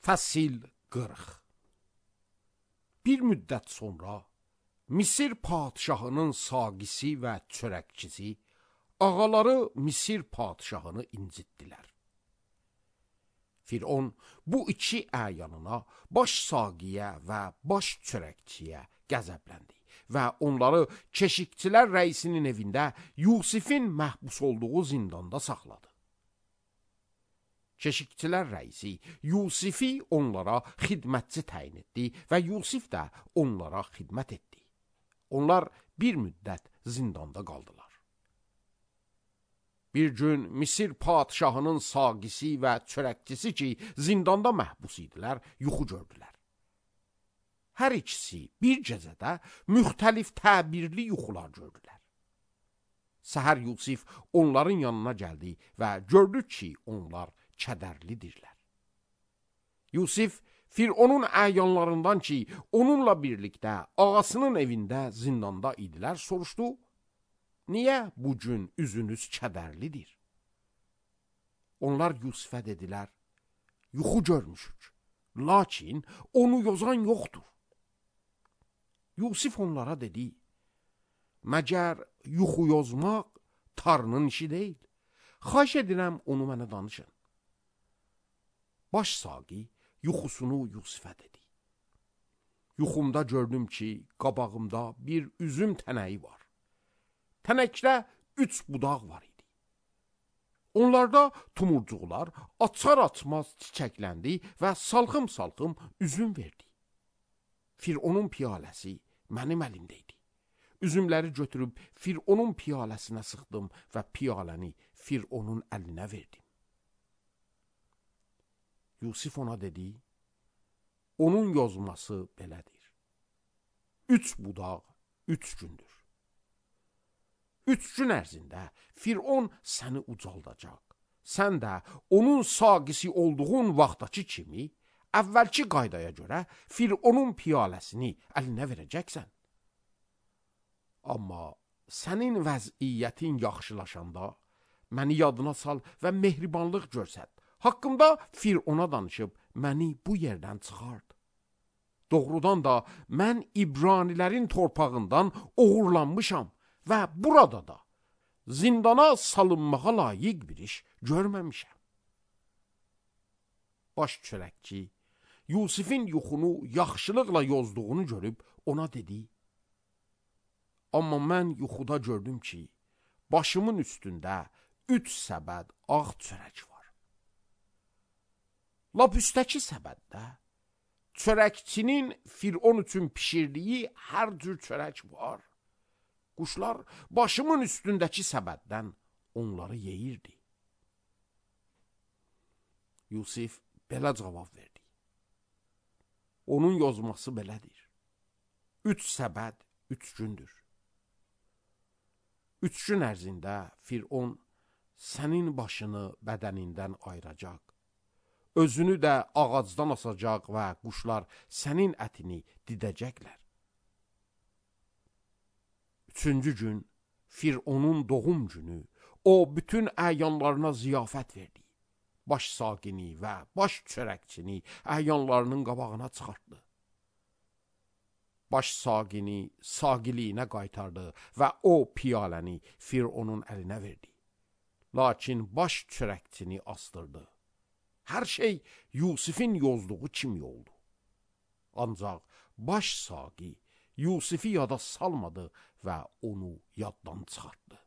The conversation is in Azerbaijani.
Fəsil 40. Bir müddət sonra Misir padşahının saqisi və çörəkçisi ağaları Misir padşahını incitdilər. Firon bu iki əyanına, baş saqiyə və baş çörəkçiyə qəzəbləndi və onları keşikçilər rəisinin evində Yusifin məhbus olduğu zindanda saxladı. Keşikçilər rəisi Yusifi onlara xidmətçi təyin etdi və Yusif də onlara xidmət etdi. Onlar bir müddət zindanda qaldılar. Bir gün Misir padşahının saqisi və çörəkçisi ki, zindanda məhbus idilər, yuxu gördülər. Hər ikisi bir gecədə müxtəlif təbirli yuxular gördülər. Səhər Yusif onların yanına gəldi və gördü ki, onlar kədərlidirlər. Yusif, Fironun əyanlarından ki, onunla birlikdə ağasının evində zindanda idilər, soruşdu, niyə bu gün üzünüz kədərlidir? Onlar Yusifə dedilər, yuxu görmüşük, lakin onu yozan yoxdur. Yusif onlara dedi, məgər yuxu yozmaq Tanrının işi deyil, xahiş edirəm onu mənə danışın. Baş saqi yuxusunu Yusifə dedi. Yuxumda gördüm ki, qabağımda bir üzüm tənəyi var. Tənəkdə 3 budaq var idi. Onlarda tumurcuqlar açar-açmaz çiçəkləndi və salxım-salxım üzüm verdi. Fironun piyaləsi mənim əlimdə idi. Üzümləri götürüb Fironun piyaləsinə sıxdım və piyaləni Fironun əlinə verdim. Yusif ona dedi, onun yozması belədir. 3 budaq 3 gündür. 3 gün ərzində Firon səni ucaldacaq. Sən də onun saqisi olduğun vaxtdakı kimi, əvvəlki qaydaya görə Fironun piyaləsini əlinə verəcəksən. Amma sənin vəziyyətin yaxşılaşanda, məni yadına sal və mehribanlıq görsət. Haqqımda Firona danışıb, məni bu yerdən çıxart. Doğrudan da mən İbranilərin torpağından oğurlanmışam və burada da zindana salınmağa layiq bir iş görməmişəm. Baş çörəkçi Yusifin yuxunu yaxşılıqla yozduğunu görüb ona dedi, amma mən yuxuda gördüm ki, başımın üstündə 3 səbəd ağ çörək var. Lap üstəki səbəddə çörəkçinin Firon üçün pişirdiyi hər cür çörək var. Quşlar başımın üstündəki səbəddən onları yeyirdi. Yusif belə cavab verdi. Onun yozması belədir. 3 səbəd 3 gündür. 3 gün ərzində Firon sənin başını bədənindən ayıracaq. Özünü də ağacdan asacaq və quşlar sənin ətini didəcəklər. 3-cü gün Fironun doğum günü, o bütün əyanlarına ziyafət verdi. Baş saqini və baş çörəkçini əyanlarının qabağına çıxartdı. Baş saqini saqiliyinə qaytardı və o piyaləni Fironun əlinə verdi. Lakin baş çörəkçini astırdı. Hər şey Yusifin yozduğu kimi oldu. Ancaq baş saqi Yusifi yada salmadı və onu yaddan çıxartdı.